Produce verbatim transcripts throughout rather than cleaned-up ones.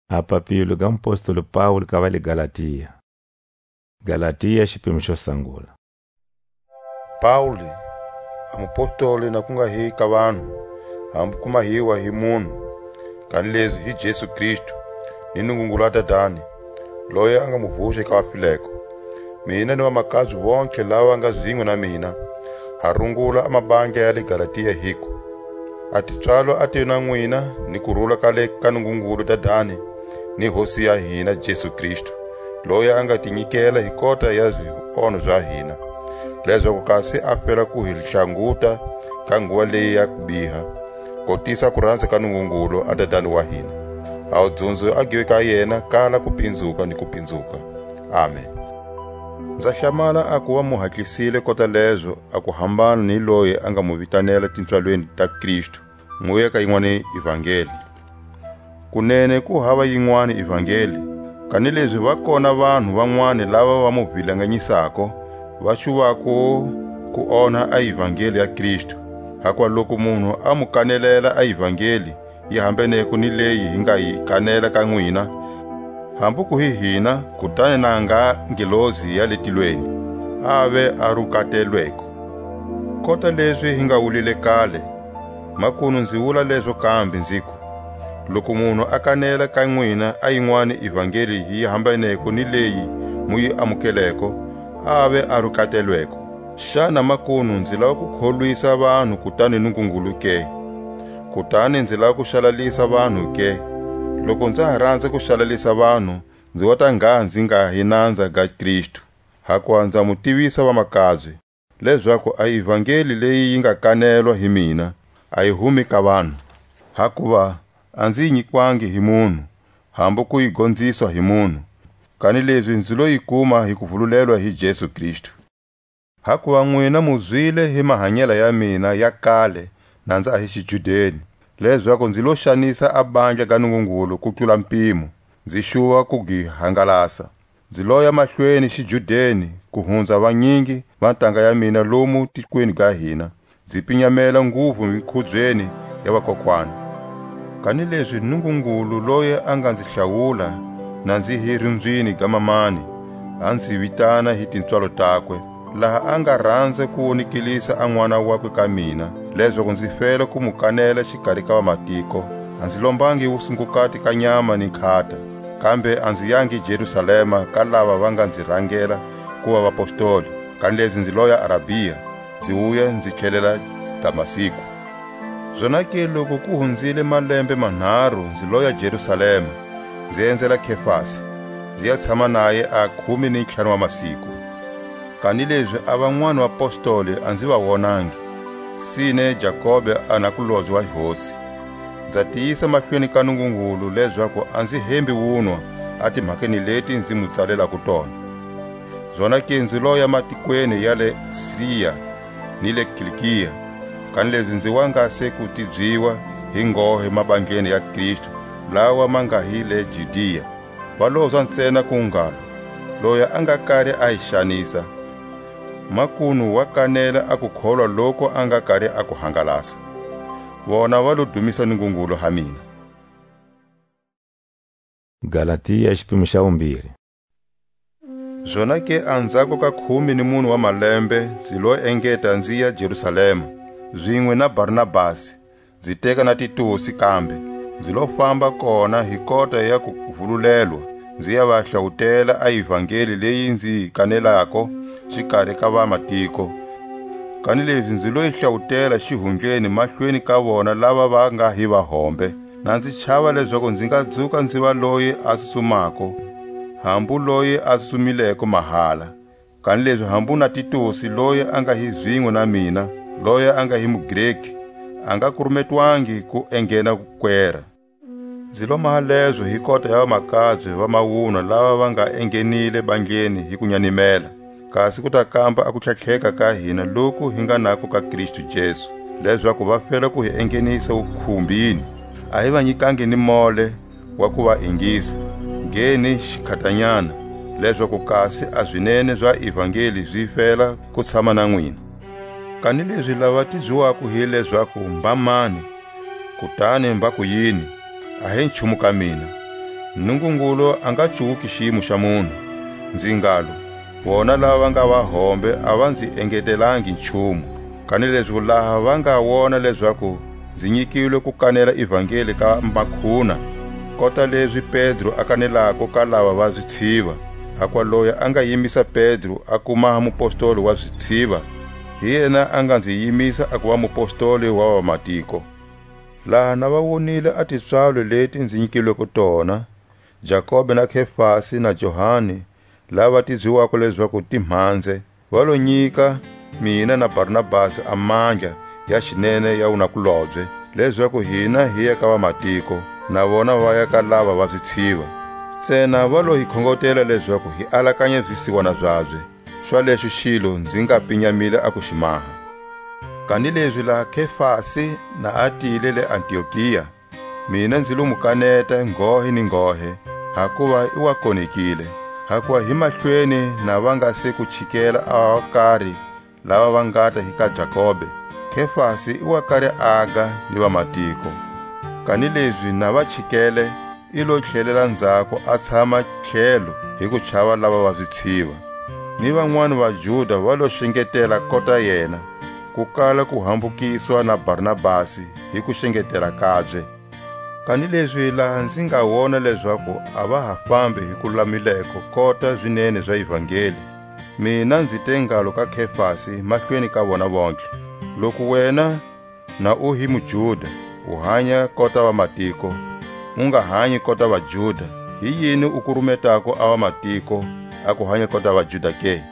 A papilo ga mupostoli Paule ka va le Galatia. Galatia, xipimo xo sangula. Paule, a mupostoli na ku nga hi ka vanhu, hambu ku mahiwa hi munhu, kanilezi hi Jesu Kristu, ni Nungungulu wa Dadani, loyi a nga mu vuxa ka vafileko. Mina ni vamakabye vontlhe lava nga zinwe na mina, ha rungula a mabandla ya le Galatia, hiku: A tipswalo a ti na nwina, ni kurula ka le ka Nungungulu Dadani, ni Hosi ya hina Jesu Kristu, loyi a nga ti nyikela hi kota ya zionho za hina, lezaku kasi a fela ku hi hlanguta ka nguva leyi ya kubiha, kotisa kuranza ka Nungungulu a Dadani wa hina. A wudzunzo a give ka yena kala kupinzuka ni kupinzuka. Amen. Nza hlamala a kuva mu hatlisile kota lezo a ku hambana ni loyi a nga mu vitanela tipswalweni ta Kristu, mu ya ka yinwani ivangeli. Kunene ku hava yinwani ivangeli, kanilezi va kona vanhu vanwani lava va mu vilanganyisako, va xuvako ku onha a ivangeli ya Kristu. Hakuva loku munhu a mu kanelela a ivangeli, yi hambaneko ni leyi hi nga yi kanela ka nwina, hambu ku hi hina, kutani na nga ngelosi ya le tilweni, ave a rukatelweko. Kota lezi hi nga wulile kale, makunu nzi wula lezo kambe, nziku: Loku munhu a kanela ka nwina a yinwani ivangeli yi hambaneko ni leyi mu yi amukeleko, ave a rukatelweko. Xana makunu nzi lava ku kholwisa vanhu kutani Nungungulu ke? Kutani nzi lava ku xalalisa vanhu ke? Loku nza ha ranza ku xalalisa vanhu, nzi wata ngha nzi nga hi nanza ga Kristu. Hakuva nza mu tivisa vamakabye, lezaku a ivangeli leyi yi nga kanelwa hi mina, a yi humi ka vanhu. Hakuva a nzi yi nyikwangi hi munhu, hambu ku yi gonziswa hi munhu, kanilezi nzi lo yi kuma hi kuvululelwa hi Jesu Kristu. Hakuva nwina mu zwile hi mahanyela ya mina ya kale na nza hi xijudeni, lezaku nzi lo xanisa a bandla ga Nungungulu ku tlula mpimo, nzi xuva ku gi hangalasa. Nzi loya mahlweni xijudeni ku hunza vanyingi va ntanga ya mina lomu tikweni ga hina, nzi pinyamela nguvu mikhubyeni ya vakokwana. Kanilezi Nungungulu loyi a nga nzi hlawula, na nzi hi rimbyini ga mamani, a nzi vitana hi tipswalo takwe, laha a nga ranza ku wonikelisa a n'wana wakwe ka mina, lezaku nzi fela ku mu kanela xikari ka vamatiko, a nzi lombangi wusungukati ka nyama ni nkhata, kambe a nzi yangi Jerusalema ka lava va nga nzi rangela kuva vapostoli, kanilezi nzi loya Arabia, nzi wuya nzi tlhelela Damasku. Zonake loku ku hunzile malembe manharu nzi loya Jerusalema, nzi enzela Kefasi, nzi ya tshama naye a khume ni ntlhanu wa masiku. Kanilezi a vanwani vapostoli a nzi va wonangi, sine Jakobe a nakulobye wa Hosi. Nza tiyisa mahlweni ka Nungungulu lezaku a nzi hembi wunwa a timhakeni leti nzi mu tsalelako tona. Zonake nzi loya matikweni ya le Siria ni le Kilikia, kanilezi nzi wa nga se ku tibyiwa hi nghohe mabandleni ya Kristu, lawa ma nga hi le Judia. Va lozwa ntsena ku ngalo: Loyi a nga kari a hi xanisa, makunu wa kanela a kukholwa loku a nga kari a ku hangalasa. Vona va lo dumisa Nungungulu ha mina. Galatia, xipimo xa vumbirhi. Zonake anzhako ka khume ni mune wa malembe, nzi lo engeta nzi ya Jerusalema, zinwe na Barnabasi, nzi teka na Titusi kambe, nzi lo famba kona hi kota ya kuvululelwa, nzi ya va hlawutela a ivangeli leyi nzi yi kanelako xikari ka vamatiko. Kanilezi nzi lo yi hlawutela xihundleni mahlweni ka vona lava va nga hi vahombe. Na nzi chava lezaku nzi nga dzuka nzi va loyi a tsutsumako, hambu loyi a tsutsumileko mahala. Kanilezi hambu na Titusi, loyi a nga hi zinwe na mina, loyi a nga hi muGreki, a nga kurumetwangi ku enghena kwera. Nzi lo maha lezo hi kota ya vamakabye va mawunwa lava va nga enghenile bandleni hi ku nyanimela, kasi ku ta kamba a kutlhatlheka ka hina loku hi nga nako ka Kristu Jesu, lezaku va fela ku hi enghenisa wukhumbini. A hi va nyikangi ni mole wa ku va ingisa, nge ni xikhatanyana, lezaku kasi a zinene za ivangeli zi fela ku tshama na nwina. Kanilezi lava tibyiwako hi lezaku mba mani, kutani mba ku yini, a hi nchumu ka mina. Nungungulu a nga cuwuki xiyimo xa munhu. Nzi ngalo, vona lava va nga vahombe a va nzi engetelangi nchumu. Kanilezi laha va nga wona lezaku nzi nyikilwe ku kanela ivangeli ka makhuna, kota lezi Pedro a kanelako ka lava va zitshiva, hakuva loyi a nga yimisa Pedro a ku maha mupostoli wa zitshiva, hi yena a nga nzi yimisa a kuva mupostoli wa vamatiko. Laha na va wonile a tipswalo leti nzi nyikilweko tona, Jakobe na Kefasi na Johani, lava tibyiwako lezaku Timhanze, va lo nyika mina na Barnabasi a mandla ya xinene ya wunakulobye, lezaku hina hi ya ka vamatiko, na vona va ya ka lava va zitshiva. Ntsena va lo hi khongotela lezaku hi alakanya zisiwana zabye. Xwalexo xilo nzi nga pinyamile a ku xi maha. Kanilezi laha Kefasi na a tile le Antiokia, mina nzi lo mu kaneta nghohe ni nghohe, hakuva i wa konekile. Hakuva hi mahlweni na va nga se ku chikela a va kari lava va ngata hi ka Jakobe, Kefasi i wa kari aga ni vamatiko. Kanilezi na va chikele, i lo tlhelela nzhako a tshama tlhelo hi ku chava lava va zitshiva. Ni vanwani vaJuda va lo xengetela kota yena, ku kala ku hambukiswa na Barnabasi hi ku xengetela kabye. Kanilezi laha nzi nga wona lezaku a va ha fambi hi ku lulamileko kota zinene za ivangeli, mina nzi te ngalo ka Kefasi mahlweni ka vona vontlhe: Loku wena na u hi muJuda, u hanya kota vamatiko, u nga hanyi kota vaJuda, hi yini u kurumetako a vamatiko a ku hanya kota vaJuda ke?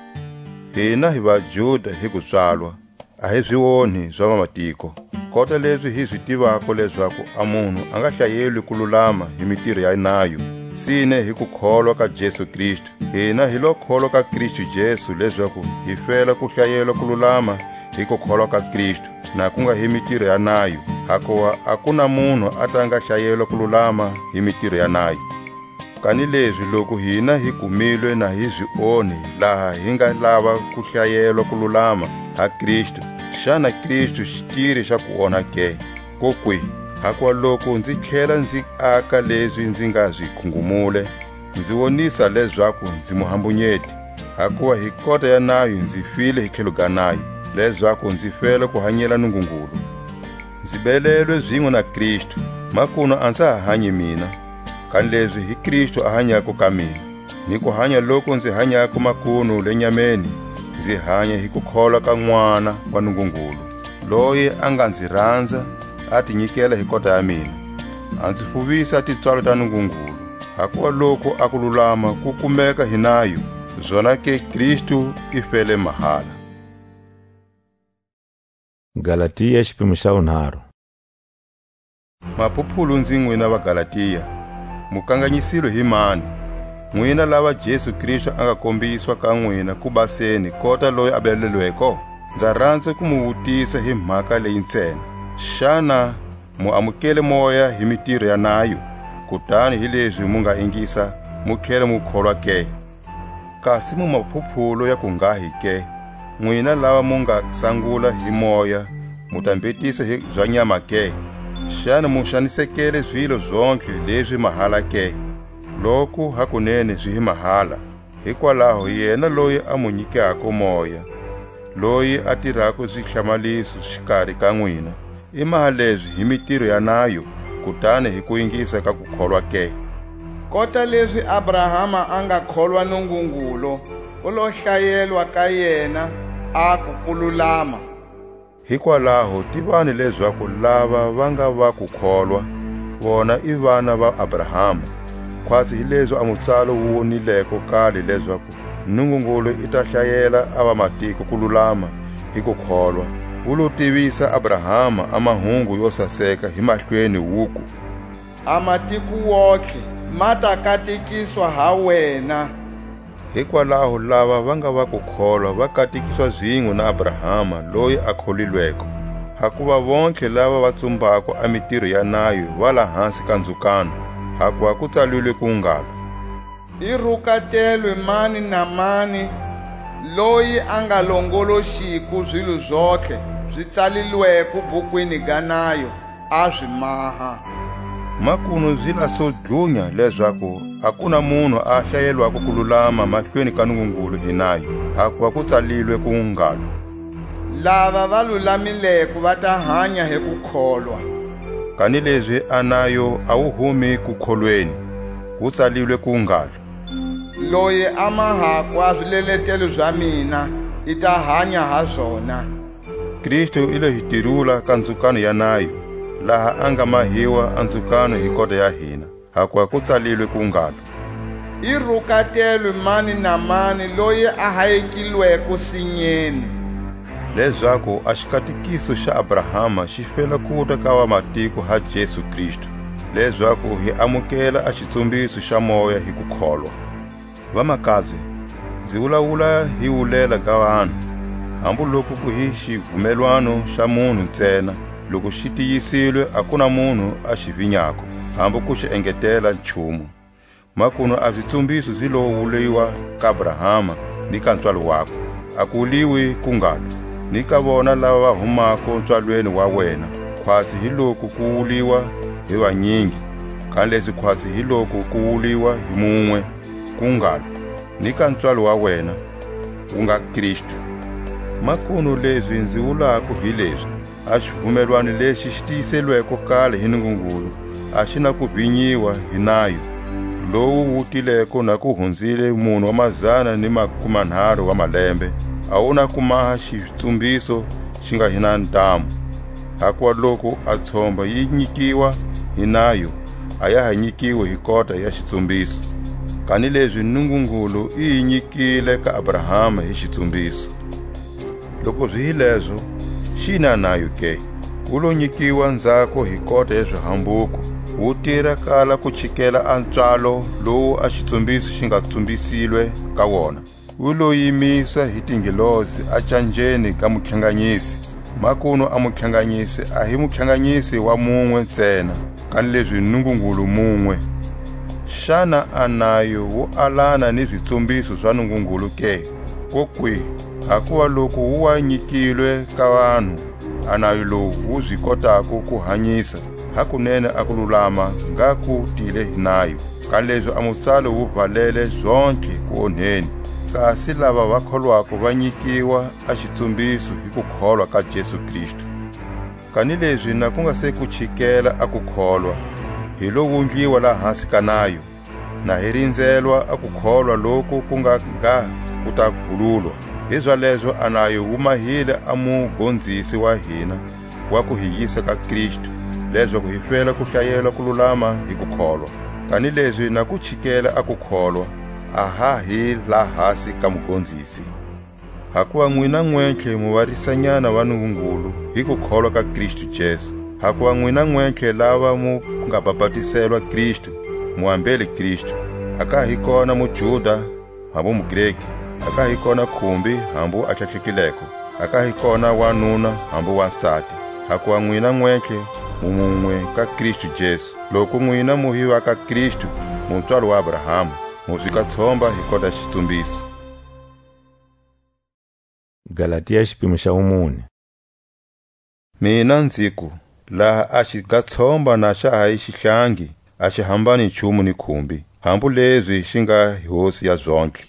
Hina hi vaJuda hi kupswalwa, a hi zi onhi za vamatiko. Kota lezi hi zi tivako lezaku a munhu a nga hlayelwi ku lulama hi mitiro ya nayo, sine hi ku kholwa ka Jesu Kristu. Hina hi lo kholwa ka Kristu Jesu lezaku hi fela ku hlayelwa ku lulama hi ku kholwa ka Kristu, na ku nga hi mitiro ya nayo, hakuva a ku na munhu a ta nga hlayelwa ku lulama hi mitiro ya nayo. Kanilezi loku hina hi kumilwe na hi zi onhi laha hi nga lava ku hlayelwa ku lulama ha Kristu, xana Kristu xi tiri xa ku onha ke? Kokwihi? Hakuva loku nzi tlhela nzi aka lezi nzi nga zi khungumule, nzi wonisa lezaku nzi muhambunyeti, hakuva hi kota ya nayo nzi file hi tlhelo ga nayo, lezaku nzi fela ku hanyela Nungungulu. Nzi belelwe zinwe na Kristu, makunu a nza ha hanyi mina, kanilezi hi Kristu a hanyako ka mina. Ni ku hanya loku nzi hanyako makunu le nyameni, nzi hanya hi kukholwa ka N'wana wa Nungungulu, loyi a nga nzi ranza, a ti nyikela hi kota ya mina. A nzi fuvisa tipswalo ta Nungungulu, hakuva loku a kululama ku kumeka hi nayo, zonake Kristu i fele mahala. Galatia, xipimo xa vunharhu. Maphuphulu nzi, nwina va Galatia, mu kanganyisilwe hi mani? Nwina lava Jesu Kristu a nga kombiswa ka nwina ku baseni kota loyi a belelweko? Nza ranza ku mu wutisa hi mhaka leyi ntsena. Xana mu amukele Moya hi mitiro ya nayo, kutani hi lezi mu nga ingisa, mu tlhela mu kholwa ke? Kasi mu maphuphulo ya ku nghahi ke? Nwina lava mu nga sangula hi Moya, mu ta mbhetisa hi za nyama ke? Xana mu xanisekele zilo zontlhe lezi mahala ke? Loku hakunene zi hi mahala, hikwalaho yena loyi a mu nyikako Moya, loyi a tirako zihlamaliso xikari ka nwina, i maha lezi hi mitiro ya nayo, kutani hi ku ingisa ka kukholwa ke? Kota lezi Abrahama a nga kholwa Nungungulu, ku lo hlayelwa ka yena, aku, ku lulama. Hikwalaho tivani lezaku lava va nga va kukholwa, vona i vana va Abrahama. Khwatsi hi lezi a mutsalo wu wonileko kale lezaku Nungungulu i ta hlayela a vamatiko ku lulama hi ku kholwa, wu lo tivisa Abrahama a mahungu yo saseka hi mahlweni, wuku: A matiko wontlhe ma ta katekiswa ha wena. Hikwalaho lava va nga va ku kholwa va katekiswa zinwe na Abrahama loyi a kholilweko. Hakuva vontlhe lava va tsumbako a mitiro ya nayo va la hansi ka ndzukano, hakuva ku tsalilwe ku ngalo: I rukatelwe mani na mani loyi a nga longoloxiko zilo zontlhe zi tsalilweko bukwini ga nayo, a zi maha. Makunu zi la so dlunya lezaku a ku na munhu a hlayelwako ku lulama mahlweni ka Nungungulu hi nayo, hakuva ku tsalilwe ku ngalo: "Lava va lulamileko va ta hanya hi kukholwa." Kanilezi a nayo a wu humi kukholweni, ku tsalilwe ku ngalo: "Loyi a mahako a zileletelo za mina, i ta hanya ha zona." Kristu i lo hi tirula ka ndzukano ya nayo, laha a nga mahiwa a ndzukano hi kota ya hina, hakuva ku tsalilwe ku ngalo: "I rukatelwe mani na mani loyi a hayekilweko sinyeni." Lezaku a xikatikiso xa Abrahama xi fela kuta ka vamatiko ha Jesu Kristu, lezaku hi amukela a xitsumbiso xa moya hi kukholwa. Vamakabye, nzi wulawula hi wulela ga vanhu, hambu loku ku hi xivumelwano xa munhu ntsena, loku xi tiyisilwe a ku na munhu a xi vinyako, hambu ku xi engetela nchumu. Makunu a zitsumbiso zi lo wuliwa ka Abrahama ni ka ntswalo wakwe. A ku wuliwi ku ngalo: "Ni ka vona lava va humako ntswalweni wa wena," khwatsi hi loku ku wuliwa hi vanyingi, kanilezi khwatsi hi loku ku wuliwa hi munwe, ku ngalo: "Ni ka ntswalo wa wena, ku nga Kristu." Makunu lezi nzi wulako hi lezi: a xivumelwano lexi xi tiyiselweko kale hi Nungungulu, a xi na ku vinyiwa hi nayo, lowu wu tileko na ku hunzile mune wa mazana ni makumanharu wa malembe, a wu na ku maha xitsumbiso xi nga hi na ntamu. Hakuva loku a tshomba yi nyikiwa hi nayo, a ya ha nyikiwi hi kota ya xitsumbiso. Kanilezi Nungungulu i yi nyikile ka Abrahama hi xitsumbiso. Loku zi hi lezo, xi na nayo ke? Wu lo nyikiwa nzhako hi kota ya zihambuko, wu tira kala ku chikela a ntswalo lowu a xitsumbiso xi nga tsumbisilwe ka wona. Wu lo yimiswa hi tingelosi a canjeni ga mutlhanganyisi. Makunu a mutlhanganyisi a hi mutlhanganyisi wa munwe ntsena, kanilezi Nungungulu munwe. Xana a nayo wu alana ni zitsumbiso za Nungungulu ke? Kokwihi? Hakuva loku wu wa nyikilwe ka vanhu, a nayo lowu wu zi kotako ku hanyisa hakunene a kululama nga ku tile hi nayo. Kanilezi a mutsalo wu valele zontlhe ku onheni, kasi lava va kholwako va nyikiwa a xitsumbiso hi kukholwa ka Jesu Kristu. Kanilezi na ku nga se ku chikela a kukholwa, hi lo wundliwa lahasi ka nayo, na hi rinzelwa a kukholwa loku ku nga ga ku ta khululwa. Hizalezo a nayo wu mahile a mugonzisi wa hina wa ku hi yisa ka Kristu, lezaku hi fela ku hlayelwa kululama hi kukholwa. Kanilezi na ku chikela a kukholwa, a ha hi lahasi ka mugonzisi. Hakuva nwina nwentlhe mu varisanyana va Nungungulu hi kukholwa ka Kristu Jesu. Hakuva nwina nwentlhe lava mu nga bapatiselwa Kristu, mu ambele Kristu. A ka hi kona muJuda, hambu muGreki, a ka hi kona khumbi, hambu a tlhatlhekileko, a ka hi kona wanuna, hambu wansati, hakuva nwina nwentlhe mu munwe ka Kristu Jesu. Loku nwina mu hi va ka Kristu, mu pswalo wa Abrahama, mu zwi ka tshomba hi kota xitsumbiso. Galatia, xipimo xa vumune. Mina nziku, laha a xi ga tshomba na xa ha yi xihlangi, a xi hambani nchumu ni khumbi, hambu lezi xi nga hi hosi ya zontlhe.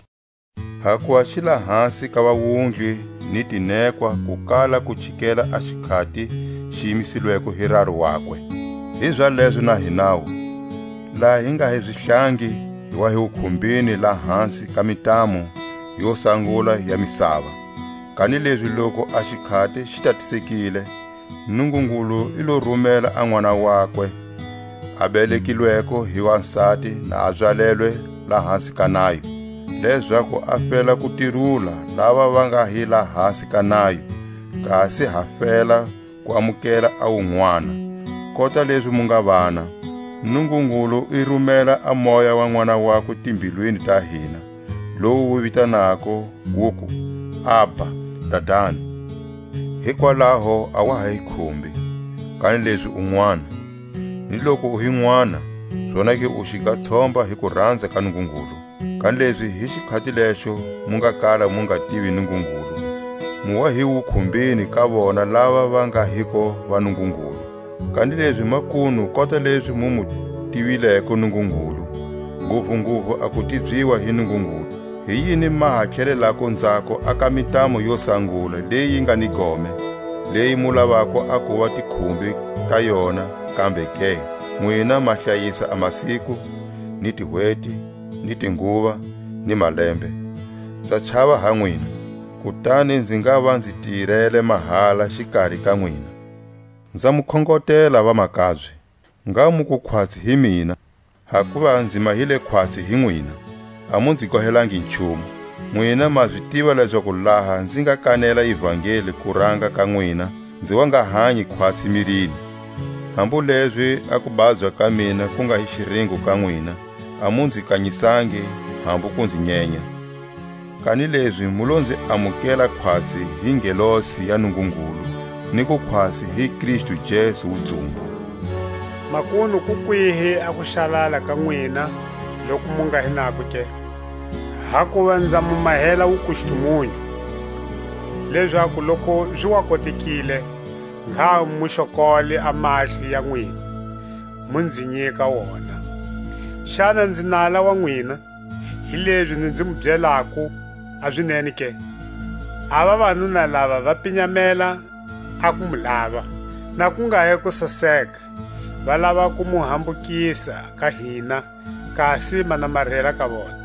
Hakuva xi la hasi ka vawundli ni tinekwa ku kala ku chikela a xikhati xi yimisilweko hi raru wakwe. Hizalezo na hinawu, laha hi nga hi zihlangi, hi wa hi wukhumbini la hansi ka mitamu yo sangula ya misava. Kanilezi loku a xikhati xi tatisekile, Nungungulu i lo rumela a N'wana wakwe, a belekilweko hi wansati na a byalelwe la hansi ka nayo, lezaku a fela ku tirula lava va nga hi la hansi ka nayo, kasi ha fela ku amukela a wun'wana. Kota lezi mu nga vana, Nungungulu i rumela a Moya wa N'wana wakwe timbilwini ta hina, lowu wu vitanako, wuku, "Abba, Dadani." Hikwalaho a wa ha hi khumbi, kanilezi u n'wana. Ni loku u hi n'wana, zonake u xi ga tshomba hi ku ranza ka Nungungulu. Kanilezi hi xikhati lexo mu nga kala mu nga tivi Nungungulu, mu wa hi wukhumbini ka vona lava va nga hiko va Nungungulu. Kanilezi makunu kota lezi mu mu tivileko Nungungulu, nguvunguvu a ku tibyiwa hi Nungungulu. Hi yini ma ha tlhelelako nzhako a ka mitamo yo sangula leyi nga ni gome, leyi mu lavako a kuva tikhumbi ka yona kambe ke? Nwina ma hlayisa a masiku, ni tihweti, ni tinguva, ni malembe. Nza chava ha nwina, kutani nzi ngava nzi tirele mahala xikari ka nwina. Nza mu khongotela, vamakabye, ngha mu ku khwatsi hi mina, hakuva nzi mahile khwatsi hi nwina, a mu nzi gohelangi nchumu. Nwina ma zi tiva lezaku laha nzi nga kanela ivangeli kuranga ka nwina, nzi wa nga hanyi khwatsi mirini. Hambu lezi a kubabya ka mina ku nga hi xiringo ka nwina, a mu nzi kanyisangi, hambu ku nzi nyenya. Kanilezi mu lo nzi amukela khwatsi hi ngelosi ya Nungungulu, ni ku khwatsi hi Kristu Jesu wudzumbu. Makunu ku kwihi a kuxalala ka nwina loku mu nga hi nako ke? Hakuva nza mu mahela wukustumunyu, lezaku loku zi wa kotekile, ngha mu xokole a mahlo ya nwina, mu nzi nyika wona. Xana nzi nala wa nwina, hilezi nzi nzi mu byelako a zinene ke? A vavanuna lava va pinyamela a ku mu lava, na ku nga hi ku saseka, va lava ku mu hambukisa ka hina, kasi ma namarhela ka vona.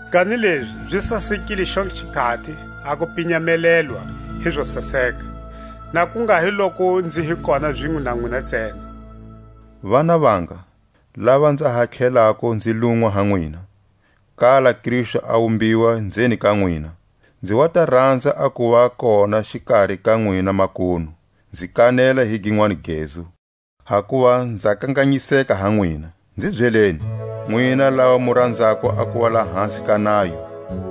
Kanilezi zi sasekile xo xikhati a ku pinyamelelwa hi zo saseka, na ku nga hi loku nzi hi kona zinwe na nwina ntsena. Vana vanga, lava nza ha tlhelako nzi lunwa ha nwina, kala Kristu a wumbiwa nzeni ka nwina, nzi wa ta ranza a kuva kona xikari ka nwina makunu, nzi kanela hi ginwani gezu, hakuva nza kanganyiseka ha nwina. Nzi byeleni, nwina lava mu ranzako a kuva lahasi ka nayo,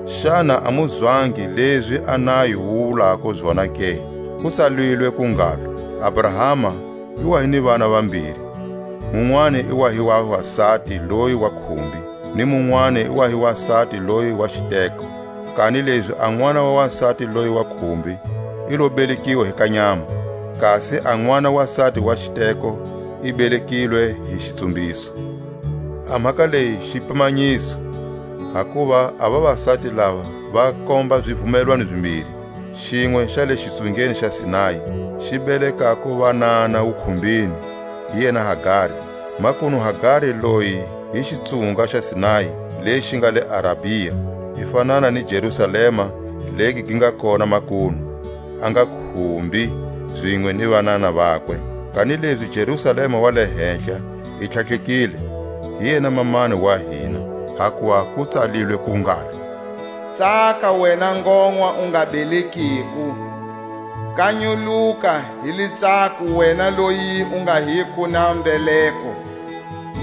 xana a mu zwangi lezi a nayo wu wulako zona ke? Ku tsalilwe ku ngalo: Abrahama i wa hi ni vana vambiri, munwani i wa hi wa wasati loyi wa khumbi, ni munwani i wa hi wasati loyi wa xiteko. Kanilezi a n'wana wa wasati loyi wa khumbi i lo belekiwa hi ka nyama, kasi a n'wana wasati wa xiteko i belekilwe hi xitsumbiso. A mhaka leyi xipimanyiso, hakuva a vavasati lava va komba zivumelwano zimbiri, xinwe xa le xitsungeni xa Sinai, xi belekako vanana wukhumbini, hi yena Hagari. Makunu Hagari loyi hi xitsunga xa Sinai, lexi nga le Arabia, i fanana ni Jerusalema, legi gi nga kona makunu, a nga khumbi zinwe ni vanana vakwe. Kanilezi Jerusalema wa le henhla i tlhatlhekile, hi yena mamani wa hina, hakuva ku tsalilwe ku ngalo: Tsaka wena ngonwa u nga belekiku, kanyuluka hi litsako wena loyi u nga hiko na mbeleko,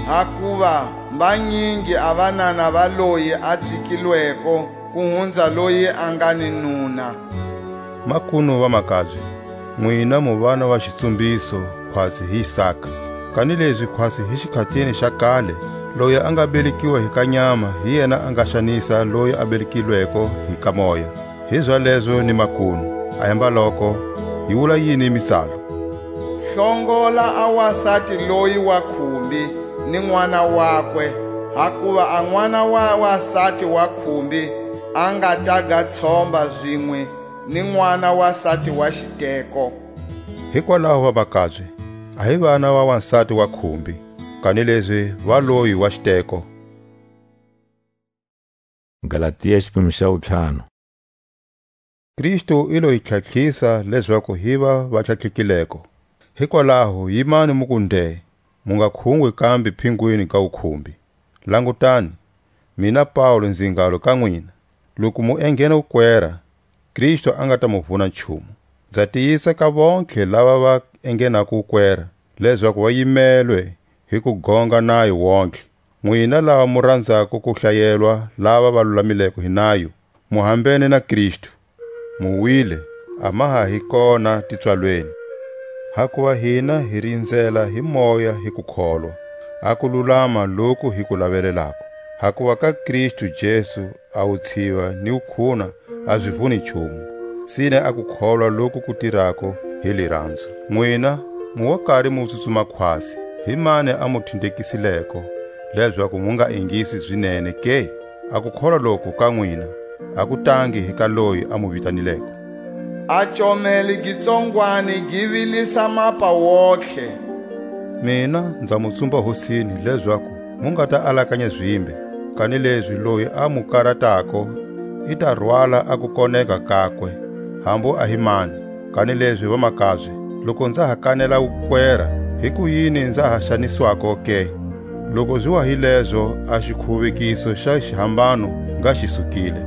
hakuva mbanyingi a vanana va loyi a tsikilweko ku hunza loyi a nga ni nuna. Makunu vamakabye, nwina mu vana va xitsumbiso, khwatsi hi Isaka. Kanilezi khwatsi hi xikhatini xa kale, loyi a nga belekiwa hi ka nyama, hi yena a nga xanisa loyi a belekilweko hi ka moya. Hizalezo ni makunu, a hemba loko, yi wula yini mitsalo? Hlongola a wasati loyi wa khumbi ni n'wana wakwe, hakuva a n'wana wa wasati wa khumbi a nga ta ga tshomba zinwe ni n'wana wasati wa xiteko. Hikwalaho, vamakabye, a hi vana va wansati wa khumbi, kanilezi va loyi wa xiteko. Galatia xiphemu xa vu-ntlhanu. Kristu i lo hi tlhatlhisa lezaku hi va va tlhatlhekileko. Hikwalaho, yimani mu ku nde, mu nga khungwi kambe phingwini ga wukhumbi. Langutani, mina Pawulo nzi ngalo ka nwina, loku mu enghena wukwera, Kristu a nga ta mu vuna nchumu. Nza tiyisa ka vontlhe lava va enghenako wukwera, lezaku va yimelwe hi ku gonga nayo wontlhe. Nwina lava mu ranzako ku hlayelwa lava va lulamileko hi nayo, mu hambene na Kristu, mu wile, a ma ha hi kona tipswalweni. Hakuva hina hi rinzela hi moya hi ku kholwa, a ku lulama loku hi ku lavelelako. Hakuva ka Kristu Jesu a wutshiva ni wukhuna a zi vuni nchumu, sine a ku kholwa loku ku tirako hi liranzo. Nwina, mu wa kari mu tsutsuma khwatsi, Hi mani a mu thindhekisileko, lezaku mu nga ingisi zinene ke? A kukholwa loku ka nwina, a ku tangi hi ka loyi a mu vitanileko. A comele gi tsongwani gi vilisa mapa wontlhe. Mina nza mu tsumba Hosini, lezaku mu nga ta alakanya zimbe, kanilezi loyi a mu karatako i ta rwala a kukoneka kakwe, hambu a hi mani. Kanilezi vamakabye, loku nza ha kanela wukwera, hikuyini nza ha xaniswako ke? Loku zi wa hi lezo, a xikhuvekiso xa xihambano nga xi sukile.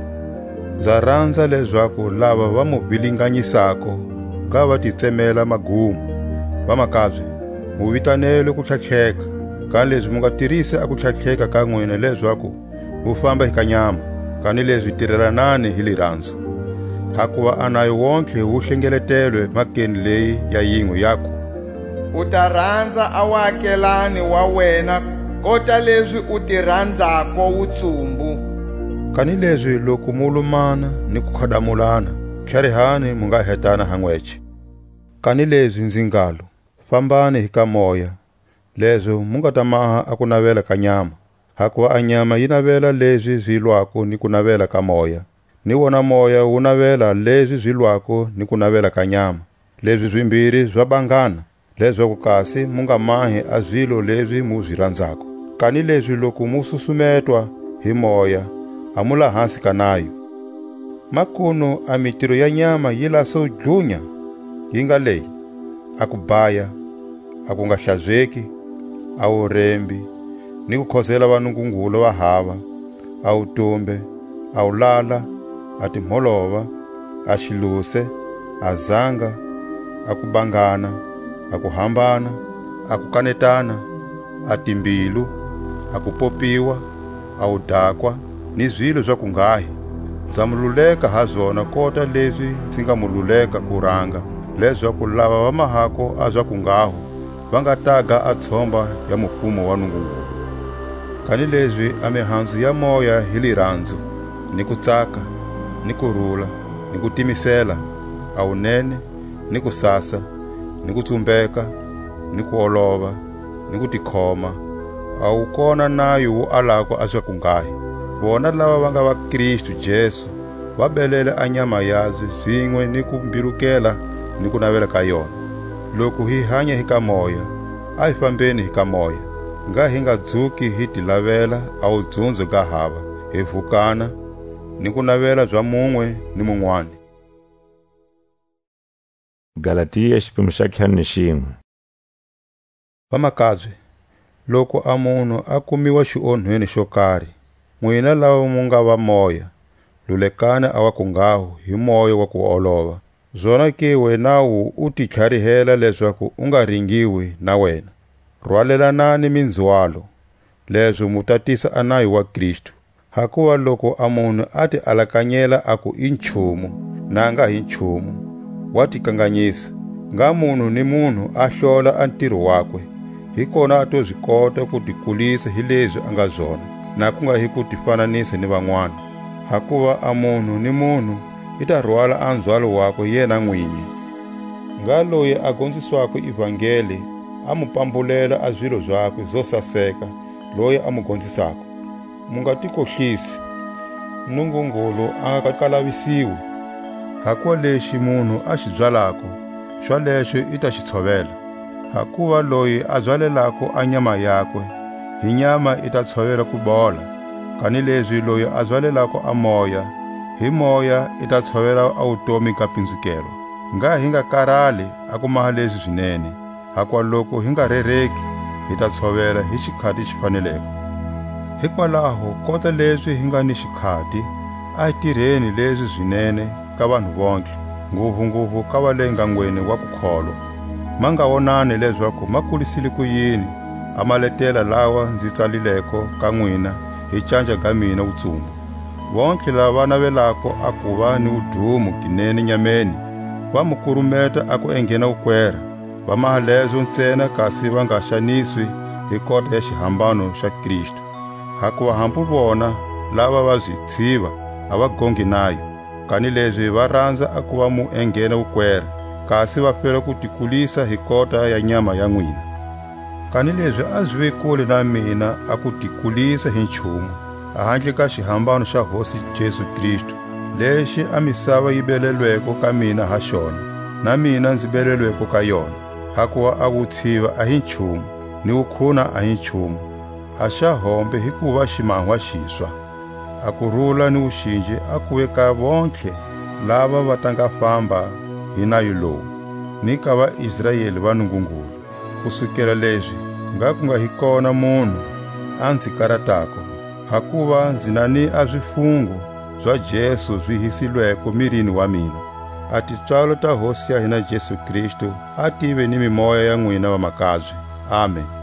Nza ranza lezaku lava va mu vilinganyisako nga va ti tsemela magumo. Vamakabye, mu vitanelwe kutlhatlheka, kanilezi mu nga tirisi a kutlhatlheka ka nwina lezaku mu famba hi ka nyama, kanilezi tirelanani hi liranzo. Hakuva a nayo wontlhe wu hlengeletelwe makeni leyi ya yinwe, yaku: U ta ranza a waakelani wa wena kota lezi u ti ranzako wutsumbu. Kanilezi loku mu lumana ni ku khadamulana, tlharihani mu nga hetana ha nwece. Kanilezi nzi ngalo: Fambani hi ka moya, lezo mu nga ta maha a kunavela ka nyama. Hakuva a nyama yi navela lezi zi lwako ni kunavela ka moya, ni wona moya wu navela lezi zi lwako ni kunavela ka nyama. Lezi zimbiri za bangana, lezaku kasi mu nga mahi a zilo lezi mu zi ranzako. Kanilezi loku mu susumetwa hi moya, a mu la hansi ka nayo. Makunu a mitiro ya nyama yi laso dlunya, yi nga leyi: a kubaya, a kungahlazeki, a wurembi, ni kukhozela vanungungulu va hava, a wutumbe, a wulala, a timholova, a xiluse, a zanga, a kubangana, a kuhambana, a kukanetana, a timbilu, a kupopiwa, a wudakwa, ni zilo za kunghahi. Nza mu luleka ha zona kota lezi nzi nga mu luleka kuranga, lezaku lava va mahako a za kunghaho va nga taga a tshomba ya mufumo wa Nungungulu. Kanilezi a mihanzu ya moya hi liranzo, ni kutsaka, ni kurula, ni kutimisela, a wunene, ni kusasa, ni kutsumbeka, ni kuolova, ni kutikhoma, a wu kona nayo wu alako a zakunghahi. Vona lava va nga va Kristu Jesu, va belele a nyama yabye zinwe ni kumbilukela ni kunavela ka yona. Loku hi hanya hi ka moya, a hi fambeni hi ka moya, ngha hi nga dzuki hi ti lavela a wudzunzo ga hava, hi vukana ni kunavela za munwe ni munwani. Galatia, xiphemu xa ntlhanu ni xinwe. Vamakabye, loku a munhu a kumiwa xionhweni xo kari, nwina lava mu nga va moya, lulekani a wa kunghaho hi moya wa ku olova. Zonake wenawu u ti tlharihela lezaku u nga ringiwi na wena. Rwalelanani minzwalo, lezo mu tatisa a nayo wa Kristu. Hakuva loku a munhu a ti alakanyela aku i nchumu, na a nga hi nchumu, wa ti kanganyisa. Ngha munhu ni munhu a hlola a ntiro wakwe, hi kona a to zi kota ku ti kulisa hi lezi a nga zona, na ku nga hi ku ti fananisa ni van'wana. Hakuva a munhu ni munhu i ta rwala a nzhwalo wakwe yena nwinyi. Ngha loyi a gonziswako ivangeli a mu pambulela a zilo zakwe zo saseka loyi a mu gonzisako. Mu nga ti kohlisi, Nungungulu a nga kalavisiwi. Hakuva lexi munhu a xi byalako, xwalexo i ta xi tshovela. Hakuva loyi a byalelako a nyama yakwe, hi nyama i ta tshovela ku bola, kanilezi loyi a byalelako a Moya, hi Moya i ta tshovela a wutomi ga pinzukelwa. Ngha hi nga karali a ku maha lezi zinene, hakuva loku hi nga rereki, hi ta tshovela hi xikhati xi faneleko. Hikwalaho, kota lezi hi nga ni xikhati, a hi tirheni lezi zinene ka vanhu vontlhe, nguvunguvu ka va le ngangweni wa kukholwa. Ma nga wonani lezaku ma kulisile kuyini a maletela lawa nzi tsalileko ka nwina hi canja ga mina wutsumbu. Vontlhe lava va navelako a kuva ni wudumo ginene nyameni, va mu kurumeta a ku enghena wukwera, va maha lezo ntsena kasi va nga xaniswi hi kota ya xihambano xa Kristu. Hakuva hambu vona lava va zi tshiva a va gongi nayo, kanilezi va ranza a kuva mu enghena wukwera, kasi va fela ku ti kulisa hi kota ya nyama ya nwina. Kanilezi a zive kule na mina a ku ti kulisa hi nchumu, ahandle ka xihambano xa Hosi Jesu Kristu, lexi a misava yi belelweko ka mina ha xona, na mina nzi belelweko ka yona. Hakuva a wutshiva a hi nchumu, ni wukhuna a hi nchumu, a xa hombe hi kuva ximahwa xiswa. A kurula ni wuxinji a kuve ka vontlhe lava va ta nga famba hi nayo lowu, ni ka vaIsraeli va Nungungulu. Kusukela lezi ngha ku nga hi kona munhu a nzi karatako, hakuva nzi na ni a zifungo za Jesu zi hisilweko mirini wa mina. A tipswalo ta Hosi ya hina Jesu Kristu a tive ni mimoya ya nwina vamakabye. Amen.